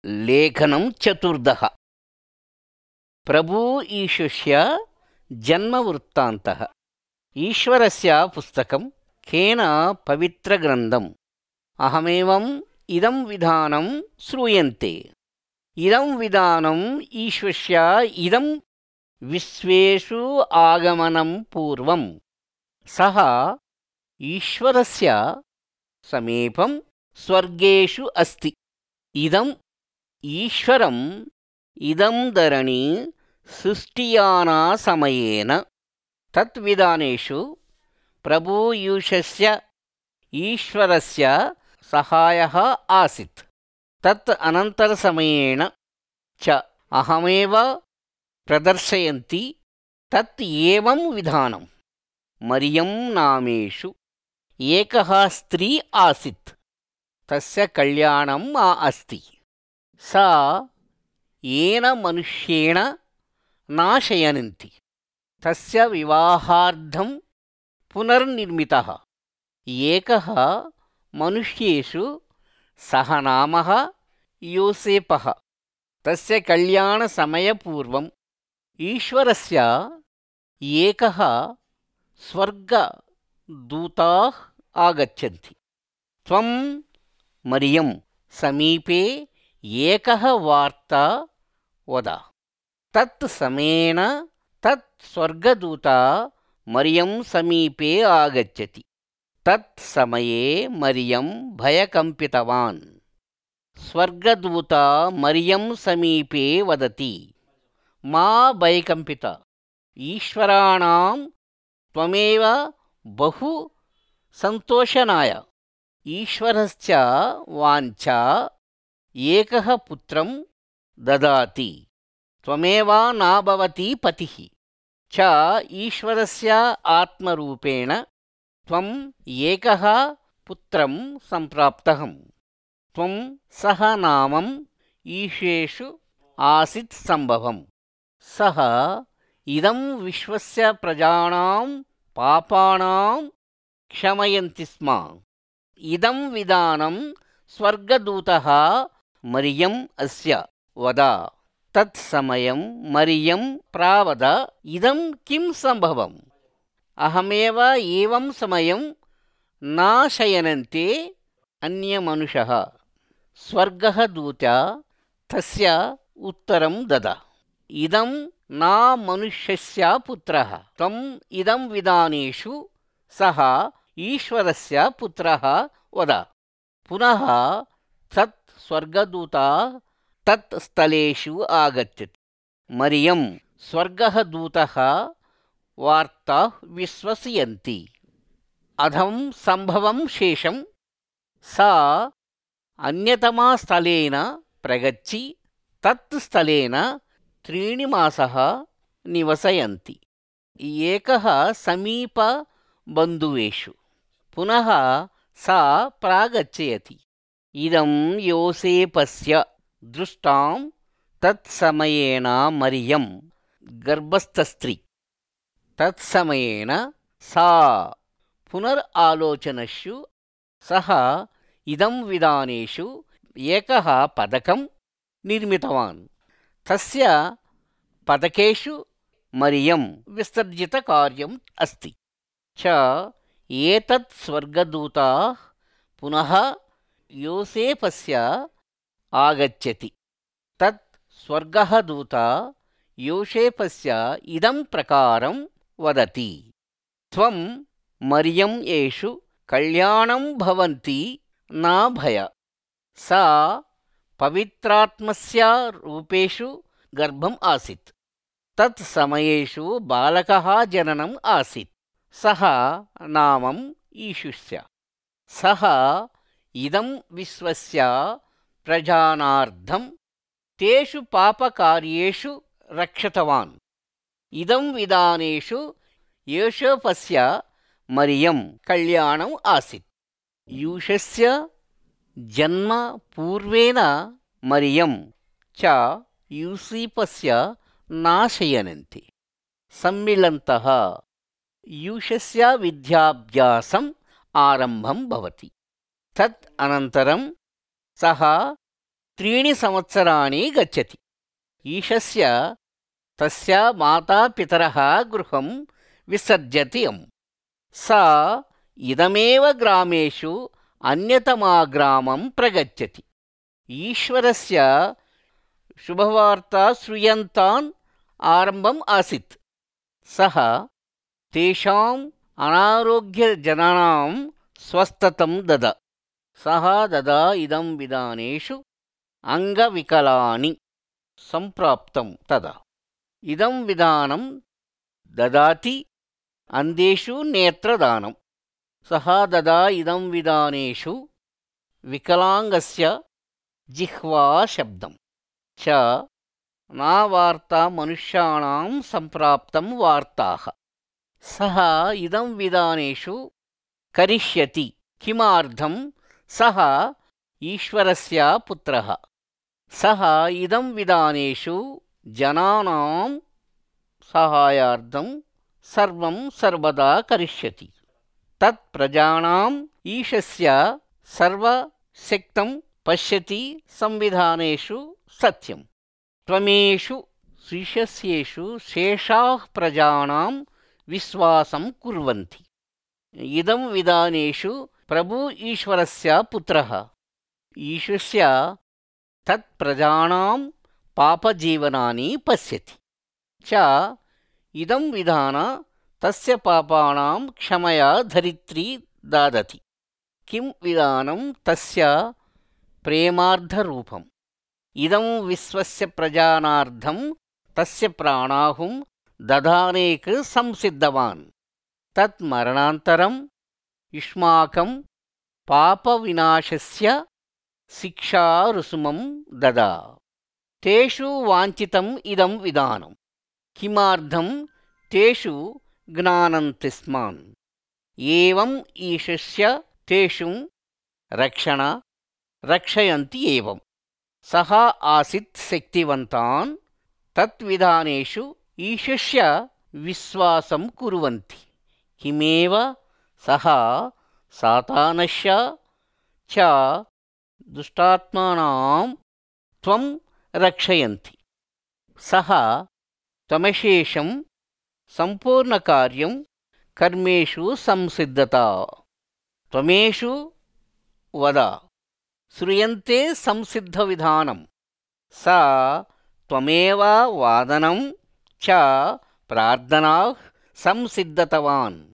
लेखनं चतुर्दः। प्रभु ईशस्य जन्मवृत्तान्तः। ईश्वरस्य पुस्तकं केन पवित्रग्रन्थम् अहमेवम् इदं विधानं श्रूयन्ते। इदं विधानम् ईश्वस्य इदं विश्वेषु आगमनं पूर्वं सः ईश्वरस्य समीपं स्वर्गेषु अस्ति। इदम् ईश्वरम् इदं धरणी सृष्टियाना समयेन तत्विधानेषु प्रभुयूशस्य ईश्वरस्य सहायः आसीत्। तत् अनन्तरसमयेन च अहमेव प्रदर्शयन्ति। तत् एवं विधानं मरियं नामेषु एकः स्त्री आसीत्। तस्य कल्याणम् अस्ति। सा येन मनुष्येण नाशयन्ति। तस्य विवाहार्थं पुनर्निर्मितः एकः मनुष्येषु सः नामः योसेपः। तस्य कल्याणसमयपूर्वम् ईश्वरस्य एकः स्वर्गदूताः आगच्छन्ति। त्वं मरियं समीपे एकः वार्ता वद। तत् समयेन तत् स्वर्गदूता मरियं समीपे आगच्छति। तत् समये मरियं भयकम्पितवान्। स्वर्गदूता मरियं समीपे वदति, मा भयकम्पित, ईश्वराणां त्वमेव बहु सन्तोषनाय। ईश्वरस्य वाञ्छा एकः पुत्रं ददाति। त्वमेव न भवति पतिः च ईश्वरस्य आत्मरूपेण त्वम् एकः पुत्रं सम्प्राप्तः। त्वं सः नामम् ईशेषु आसीत् सम्भवम्। सः इदं विश्वस्य प्रजानां पापानां क्षमयन्ति स्म। इदं विधानं स्वर्गदूतः मरियम् अस्य वद। तत्समयं मरियं प्रावद, इदं किं सम्भवम्? अहमेव एवं समयं न शयनन्ते अन्यमनुषः। स्वर्गदूता तस्य उत्तरं दद, इदं न मनुष्यस्य पुत्रः। त्वम् इदं विधानेषु सः ईश्वरस्य पुत्रः वद। पुनः तत् स्वर्गदूता तत् स्थलेषु आगच्छति। मरियं स्वर्गदूतः वार्ता विश्वसयन्ति। अधं सम्भवं शेषं सा अन्यतमस्थलेन प्रगच्छि तत् स्थलेन 3 मासः निवसयन्ति। एकः समीपबन्धुवेषु पुनः सा प्रागच्छति। इदं योसेपस्य दृष्टां। तत्समयेन मरियं गर्भस्थस्त्री। तत्समयेन सा पुनरालोचनशु सः इदं विधानेषु एकः पदकं निर्मितवान्। तस्य पदकेषु मरियं विसर्जितकार्यम् अस्ति च एतत् स्वर्गदूताः पुनः योसेपस्य आगच्छति। तत् स्वर्गदूता योसेपस्य इदं प्रकारं वदति, त्वं मरियं येषु कल्याणं भवन्ति न भय। सा पवित्रात्मस्य रूपेषु गर्भम् आसीत्। तत् समयेषु बालकः जननम् आसीत्। सः नामं ईशुस्य। सः इदं विश्वस्य प्रजानार्थं तेषु पापकार्येषु रक्षितवान्। इदं विधानेषु योसेपस्य मरियं कल्याणम् आसीत्। यूशस्य जन्म पूर्वेण मरियं च यूसेपस्य नाशयन्ति सम्मिलन्तः। यूशस्य विद्याभ्यासम् आरम्भं भवति। तत् अनन्तरं सः 3 संवत्सराणि गच्छति। ईशस्य तस्य मातापितरः गृहं विसर्जतीयम्। सा इदमेव ग्रामेषु अन्यतमाग्रामं प्रगच्छति। ईश्वरस्य शुभवार्ता श्रूयन्तान् आरम्भम् आसीत्। सः तेषाम् अनारोग्यजनानां स्वस्थतं ददा। सः ददा इदं विधानेषु अङ्गविकलानि सम्प्राप्तं तदा। इदं विधानं ददाति अन्धेषु नेत्रदानं। सः ददा इदं विधानेषु विकलाङ्गस्य जिह्वाशब्दं च नावार्ता मनुष्याणां सम्प्राप्तं वार्ताः। सः इदं विधानेषु करिष्यति किमार्थं सः ईश्वरस्य पुत्रः। सः इदं विधानेषु जनानां साहाय्यार्थं सर्वं सर्वदा करिष्यति। तत् प्रजानाम् ईशस्य सर्वशक्तं पश्यति संविधानेषु सत्यम्। त्वमेषु ईशस्येषु शेषाः प्रजानां विश्वासं कुर्वन्ति। इदं विधानेषु प्रभु ईश्वरस्य पुत्रः ईशस्य तत्प्रजानां पापजीवनानि पश्यति च। इदं विधान तस्य पापानां क्षमया धरित्री ददति। किं विधानं तस्य प्रेमार्धरूपम्। इदं विश्वस्य प्रजानार्थं तस्य प्राणाहुं दधानेक संसिद्धवान्। तत् मरणान्तरं युष्माकं पापविनाशस्य शिक्षारुसुमं ददा। तेषु वाञ्छितम् इदं विधानं किमार्थं तेषु ज्ञानन्ति स्मान्। एवम् ईशस्य तेषु रक्षयन्ति एवं। सः आसीत् शक्तिवन्तान् तत्विधानेषु ईशस्य विश्वासं कुर्वन्ति। किमेव सः सातानस्य च दुष्टात्मानां त्वं रक्षयन्ति। सः त्वमशेषं सम्पूर्णकार्यं कर्मेषु संसिद्धता। त्वमेषु वद श्रूयन्ते संसिद्धविधानं। सा त्वमेव वादनं च प्रार्थनाः संसिद्धतवान्।